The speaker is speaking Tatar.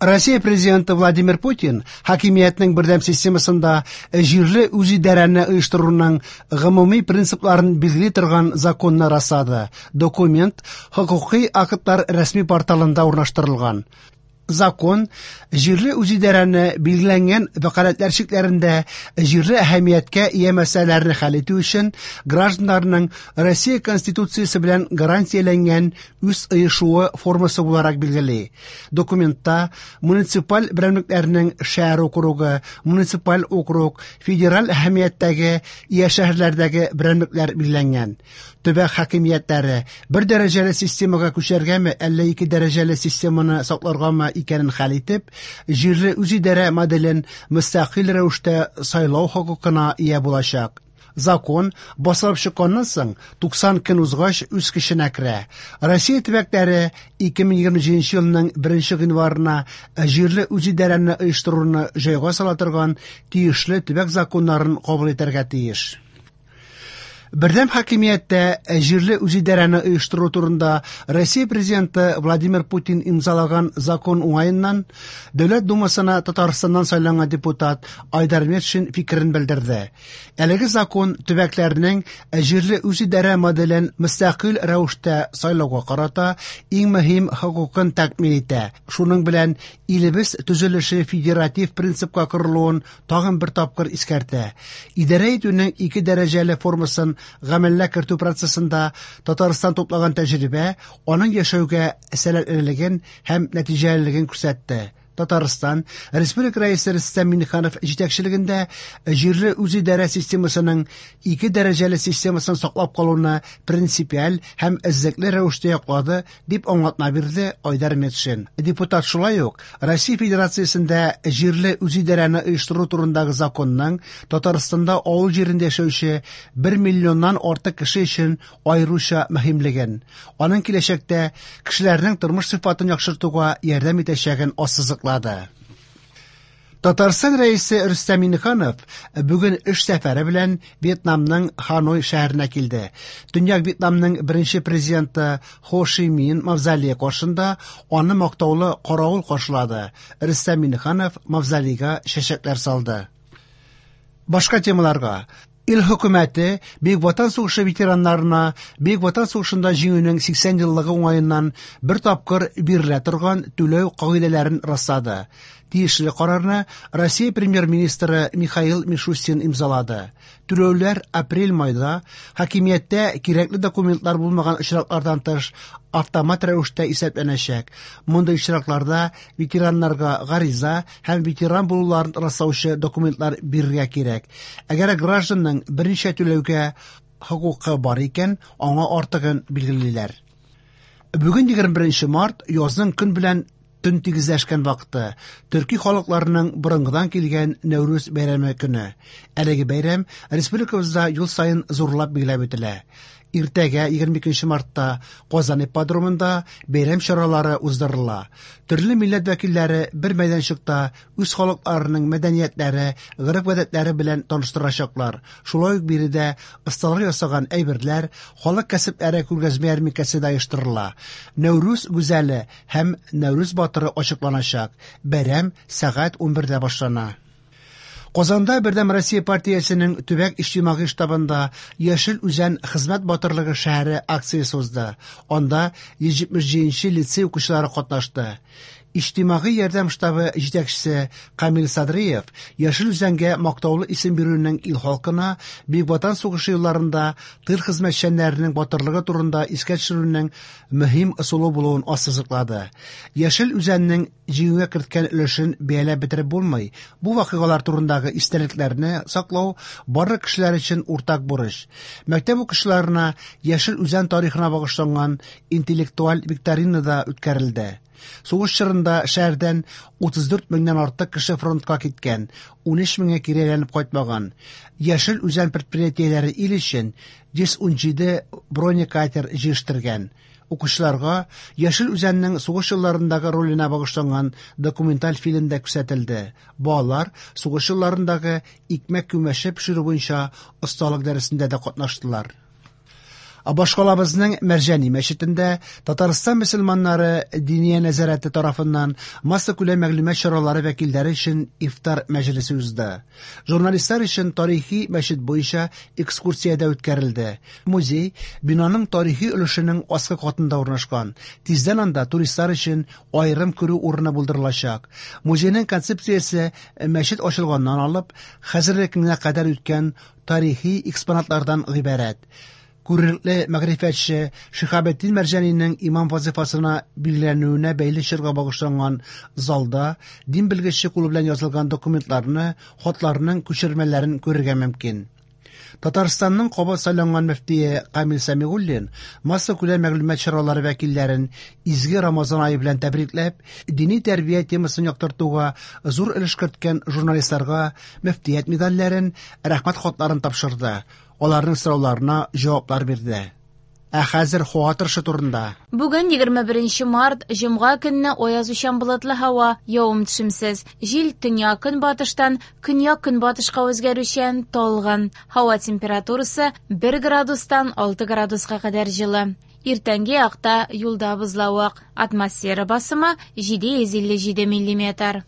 Россия президенты Владимир Путин хакимиятнең бердәм системасында җирле үзидарәне оештыруның гомуми принципларын билгели торган законны раслады. Документ хокукый актлар рәсми порталында урнаштырылган. Закон җирле үзидарәне билгеләнгән вәкаләтләр чикләрендә җирле әһәмияткә ия мәсьәләләрне хәл итү өчен гражданнарның Россия Конституциясе белән гарантияләнгән үз оешуы формасы буларак билгели. Документта муниципаль берәмлекләрнең шәһәр округы, муниципаль округ, федераль әһәмияттәге ия шәһәрләрдәге берәмлекләр билгеләнгән. Төбәк хакимиятләре бер дәрәҗәле системага күчәргәме, әллә ике дәрәҗәле системаны сакларгамы икәнен хәл итеп, җирле үзидарә моделен мөстәкыйль рәвештә сайлау хокукына ия булачак. Закон басылып чыкканнан соң 90 көн узгач үз көченә керә. Россия төбәкләре 2027 елның 1 гыйнварына җирле үзидарәне оештыруны җайга сала торган тиешле төбәк законнарын кабул итәргә тиеш. Бердәм хакимияттә җирле үзидарәне оештыру турында Россия президенты Владимир Путин имзалаган закон уңаеннан Дәүләт Думасына Татарстаннан сайланган депутат Айдар Метшин фикерен белдерде. Әлеге закон төбәкләрнең җирле үзидарә моделен мөстәкыйль рәвештә сайлауга карата иң мөһим хокукын тәэмин итә. Шуның белән илебез төзелеше федератив принципка корылуын тагын бер тапкыр искәртә. Идарә итүнең ике дәрәҗәле формасын гамәлгә кертү процессында Татарстан туплаган тәҗрибә аның яшәүгә сәләтлелеген һәм нәтиҗәлелеген күрсәтте. Татарстан Республика Рәисе Рөстәм Миңнеханов җитәкчелегендә җирле үзидарә системасының ике дәрәҗәле системасын саклап калуны принципиаль һәм эзлекле рәвештә яклады, дип аңлатма бирде Айдар Метшин. Депутат шулай ук Россия Федерациясендә җирле үзидарәне оештыру турындагы законның Татарстанда авыл җирендә яшәүче 1 миллионнан артык кеше өчен аеруча мөһимлеген, аның киләчәктә кешеләрнең тормыш сыйфатын яхшыртуга ярдәм итәчәген ассызыклады. Татарстан Рәисе Рөстәм Миңнеханов бүген эш сәфәре белән Вьетнамның Ханой шәһәренә килде. Төньяк Вьетнамның беренче президенты Хо Ши Мин мавзолее каршында аны мактаулы каравыл каршылады. Рөстәм Миңнеханов мавзолейга чәчәкләр салды. Башка темаларга. Ил хөкүмәте Бөек Ватан сугышы ветераннарына Бөек Ватан сугышында җиңүнең 80 еллыгы уңаеннан бер тапкыр бирелә торган түләү кагыйдәләрен раслады. Тиешле карарны Россия премьер-министры Михаил Мишустин имзалады. Түләүләр апрель-майда хакимияттә кирәкле документлар булмаган очраклардан тыш автомат рәвештә исәпләнәчәк. Мондый очракларда ветераннарга гариза һәм ветеран булуларын раслаучы документлар бирергә кирәк. Әгәр гражданның берничә түләүгә хокукы бар икән, аңа артыгын билгелиләр. Бүген 21 март язның көн белән төн тигезләшкән вакыты, төрки халыкларының борынгыдан килгән Нәүрүз бәйрәме көне. Әлеге бәйрәм республикабызда ел саен зурлап билгеләп үтелә. Иртәгә 22 мартта Казан ипподромында бәйрәм чаралары уздырыла. Төрле милләт вәкилләре бер мәйданчыкта үз халыкларының мәдәниятләре, гореф-гадәтләре белән таныштырачаклар. Шулай ук биредә осталар ясаган әйберләр, халык кәсепләре күргәзмә ярминкәсе дә оештырыла. Нәүрүз гүзәле һәм Нәүрүз батыры ачыкланачак. Бәйрәм сәгать 11дә башлана. Казанда Бердәм Россия партиясенең төбәк иҗтимагый штабында Яшел Үзән хезмәт батырлыгы шәһәре акциясе узды. Анда 177 лицей укучылары катнашты. Иҗтимагый ярдәм штабы җитәкчесе Камил Садриев Яшел Үзәнгә мактаулы исем бирүнең ил халкына Бөек Ватан сугышы елларында тыл хезмәтчәннәренең батырлыгы турында искә төшерүнең мөһим ысулы булуын ассызыклады. Яшел Үзәннең җиңүгә керткән өлешен бәяләп бетереп булмый. Бу вакыйгалар турындагы истәлекләрне саклау барлык кешеләр өчен уртак бурыч. Мәктәп укучыларына Яшел Үзән тарихына багышланган интеллектуаль викторина да үткәрелде. Сугыш чорында шәһәрдән 34 меңнән артык кеше фронтка киткән, 13 меңе кире әйләнеп кайтмаган. Яшел Үзән предприятиеләре ил өчен 117 бронекатер җитештергән. Укучыларга Яшел Үзәннең сугыш елларындагы роленә багышланган документаль фильм да күрсәтелде. Балалар сугыш елларындагы икмәк күмәче пешерү буенча осталык дәресендә дә катнаштылар. Башкалабызның Мәрҗани мәчетендә Татарстан мөселманнары Диния нәзарәте тарафыннан массакүләм мәгълүмат чаралары вәкилләре өчен ифтар мәҗлесе узды. Журналистлар өчен тарихи мәчет буенча экскурсия дә үткәрелде. Музей бинаның тарихи өлешенең аскы катында урнашкан. Тиздән анда туристлар өчен аерым керү урыны булдырылачак. Музейның концепциясе мәчет ачылганнан алып хәзерге көнгә кадәр үткән тарихи экспонатлардан гыйбарәт. Күренекле мәгърифәтче Шиһабетдин Мәрҗанинең имам вазифасына билгеләнүенә бәйле чорга багышланган залда дин белгече кулы белән язылган документларны, хатларның күчермәләрен күрергә мөмкин. Татарстанның кабат сайланган мөфтие Камил Сәмигуллин массакүләм мәгълүмат чаралары вәкилләрен изге Рамазан ае белән тәбрикләп, дини тәрбия темасын яктыртуга зур өлеш керткән журналистларга мөфтият медальләрен, рәхмәт хатларын тапшырды. Аларның сорауларына җаваплар бирде. Ә хәзер һава торышы турында. Бүген 21 март, җомга көнне аязучан болытлы һава, явым-төшемсез. Җил төньяк-көнбатыштан көньяк-көнбатышка үзгәрүчән, талгын. Һава температурасы 1 градустан 6 градуска кадәр җылы. Иртәнге якта юлда бозлавык. Атмосфера басымы 757 миллиметр.